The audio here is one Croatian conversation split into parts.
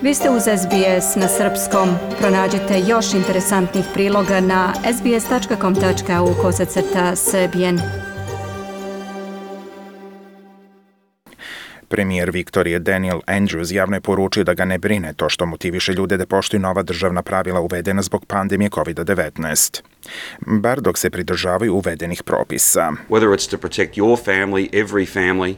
Vi ste uz SBS na srpskom. Pronađite još interesantnih priloga na sbs.com.au/srbijen. Premijer Viktorije Daniel Andrews javno je poručio da ga ne brine to što motiviše ljude da poštuju nova državna pravila uvedena zbog pandemije COVID-19. Bar dok se pridržavaju uvedenih propisa. Whether it's to protect your family, every family,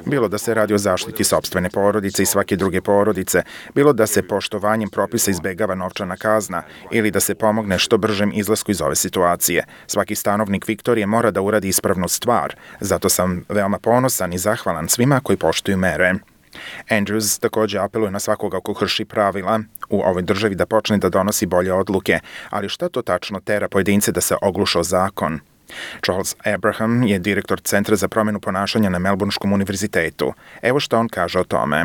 bilo da se radi o zaštiti sopstvene porodice i svake druge porodice, bilo da se poštovanjem propisa izbegava novčana kazna ili da se pomogne što bržem izlasku iz ove situacije. Svaki stanovnik Viktorije mora da uradi ispravnu stvar, zato sam veoma ponosan i zahvalan svima koji poštuju mere. Andrews također apeluje na svakoga ko krši pravila u ovoj državi da počne da donosi bolje odluke, ali šta to tačno tera pojedince da se ogluše o zakon? Charles Abraham je direktor Centra za promjenu ponašanja na Melbourneškom univerzitetu. Evo što on kaže o tome.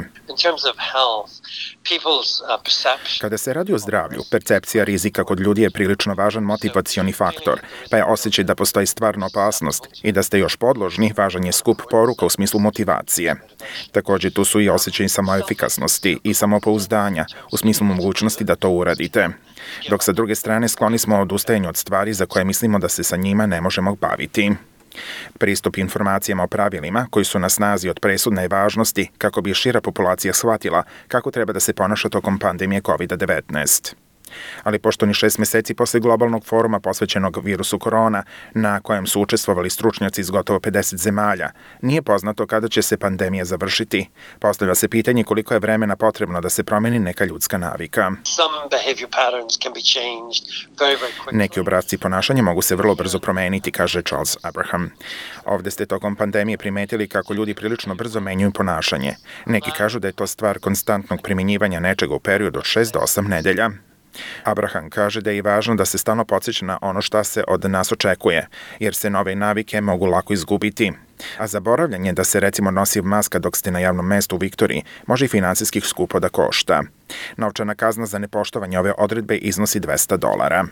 Kada se radi o zdravlju, percepcija rizika kod ljudi je prilično važan motivacioni faktor, pa je osjećaj da postoji stvarna opasnost i da ste još podložni važan je skup poruka u smislu motivacije. Također tu su i osjećaj samoefikasnosti i samopouzdanja u smislu mogućnosti da to uradite. Dok sa druge strane skloni smo odustajanju od stvari za koje mislimo da se sa njima ne možemo baviti. Pristup informacijama o pravilima koji su na snazi od presudne važnosti kako bi šira populacija shvatila kako treba da se ponaša tokom pandemije COVID-19. Ali pošto ni 6 meseci posle globalnog foruma posvećenog virusu korona, na kojem su učestvovali stručnjaci iz gotovo 50 zemalja, nije poznato kada će se pandemija završiti. Postavlja se pitanje koliko je vremena potrebno da se promeni neka ljudska navika. Neki obrasci ponašanja mogu se vrlo brzo promeniti, kaže Charles Abraham. Ovde ste tokom pandemije primetili kako ljudi prilično brzo menjaju ponašanje. Neki kažu da je to stvar konstantnog primjenjivanja nečega u periodu od 6 do 8 nedelja. Abraham kaže da je i važno da se stalno podsjeća na ono šta se od nas očekuje, jer se nove navike mogu lako izgubiti. A zaboravljanje da se recimo nosi maska dok ste na javnom mestu u Viktoriji može i finansijskih skupo da košta. Novčana kazna za nepoštovanje ove odredbe iznosi $200.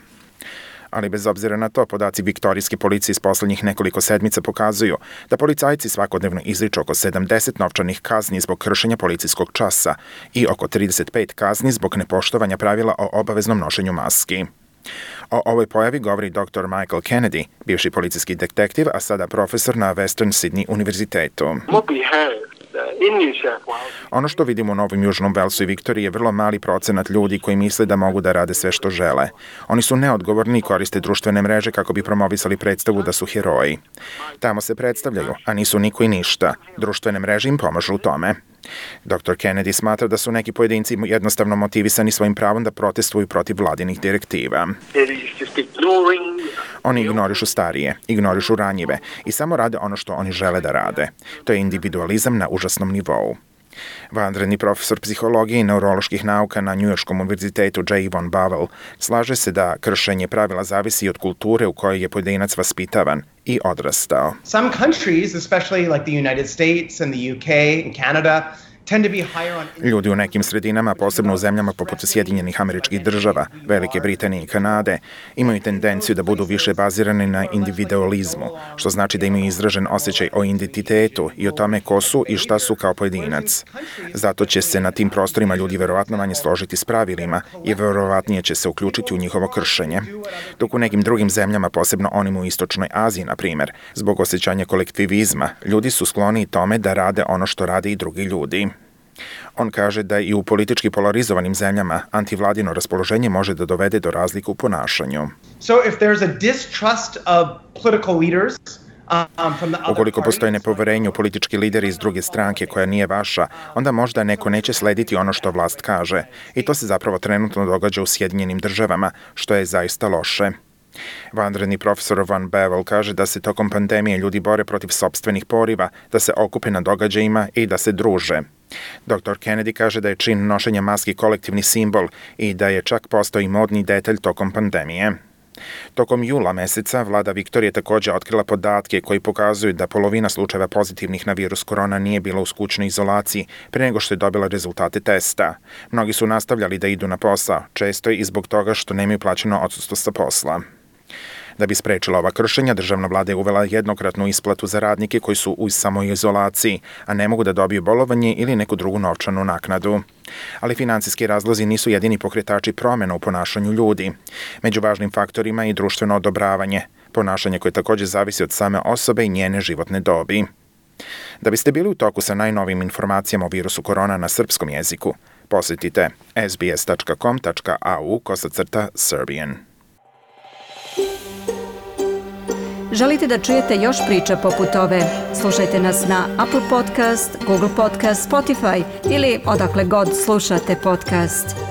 Ali bez obzira na to, podaci viktorijske policije iz poslednjih nekoliko sedmica pokazuju da policajci svakodnevno izriču oko 70 novčanih kazni zbog kršenja policijskog časa i oko 35 kazni zbog nepoštovanja pravila o obaveznom nošenju maski. O ovoj pojavi govori dr. Michael Kennedy, bivši policijski detektiv, a sada profesor na Western Sydney univerzitetu. Ono što vidimo u Novom Južnom Velsu i Viktoriji je vrlo mali procenat ljudi koji misle da mogu da rade sve što žele. Oni su neodgovorni i koriste društvene mreže kako bi promovisali predstavu da su heroji. Tamo se predstavljaju, a nisu niko i ništa. Društvene mreže im pomažu u tome. Dr. Kennedy smatra da su neki pojedinci jednostavno motivisani svojim pravom da protestuju protiv vladinih direktiva. Oni ignorišu starije, ignorišu ranjive i samo rade ono što oni žele da rade. To je individualizam na užasnom nivou. Vanredni profesor psihologije i neuroloških nauka na Njujorškom univerzitetu J. Von Bavel slaže se da kršenje pravila zavisi od kulture u kojoj je pojedinac vaspitavan i odrastao. Some countries, especially like the United States and the UK and Canada, ljudi u nekim sredinama, posebno u zemljama poput Sjedinjenih Američkih Država, Velike Britanije i Kanade, imaju tendenciju da budu više bazirani na individualizmu, što znači da imaju izražen osjećaj o identitetu i o tome ko su i šta su kao pojedinac. Zato će se na tim prostorima ljudi verovatno manje složiti s pravilima i verovatnije će se uključiti u njihovo kršenje. Dok u nekim drugim zemljama, posebno onim u Istočnoj Aziji, na primjer, zbog osjećanja kolektivizma, ljudi su skloni tome da rade ono što rade i drugi ljudi. On kaže da i u politički polarizovanim zemljama antivladino raspoloženje može da dovede do razlike u ponašanju. Ukoliko postoji nepoverenje u politički lideri iz druge stranke koja nije vaša, onda možda neko neće slediti ono što vlast kaže. I to se zapravo trenutno događa u Sjedinjenim Državama, što je zaista loše. Vanredni profesor Von Bavel kaže da se tokom pandemije ljudi bore protiv sopstvenih poriva, da se okupe na događajima i da se druže. Dr. Kennedy kaže da je čin nošenja maski kolektivni simbol i da je čak postao i modni detalj tokom pandemije. Tokom jula meseca vlada Viktorije također otkrila podatke koji pokazuju da polovina slučajeva pozitivnih na virus korona nije bila u kućnoj izolaciji pre nego što je dobila rezultate testa. Mnogi su nastavljali da idu na posao, često i zbog toga što nemaju plaćeno odsustvo sa posla. Da bi sprečila ova kršenja, državna vlada je uvela jednokratnu isplatu za radnike koji su u samoizolaciji, a ne mogu da dobiju bolovanje ili neku drugu novčanu naknadu. Ali finansijski razlozi nisu jedini pokretači promjena u ponašanju ljudi. Među važnim faktorima je i društveno odobravanje, ponašanje koje također zavisi od same osobe i njene životne dobi. Da biste bili u toku sa najnovijim informacijama o virusu korona na srpskom jeziku, posjetite sbs.com.au/Serbian. Želite da čujete još priča poput ove? Slušajte nas na Apple Podcast, Google Podcast, Spotify ili odakle god slušate podcast.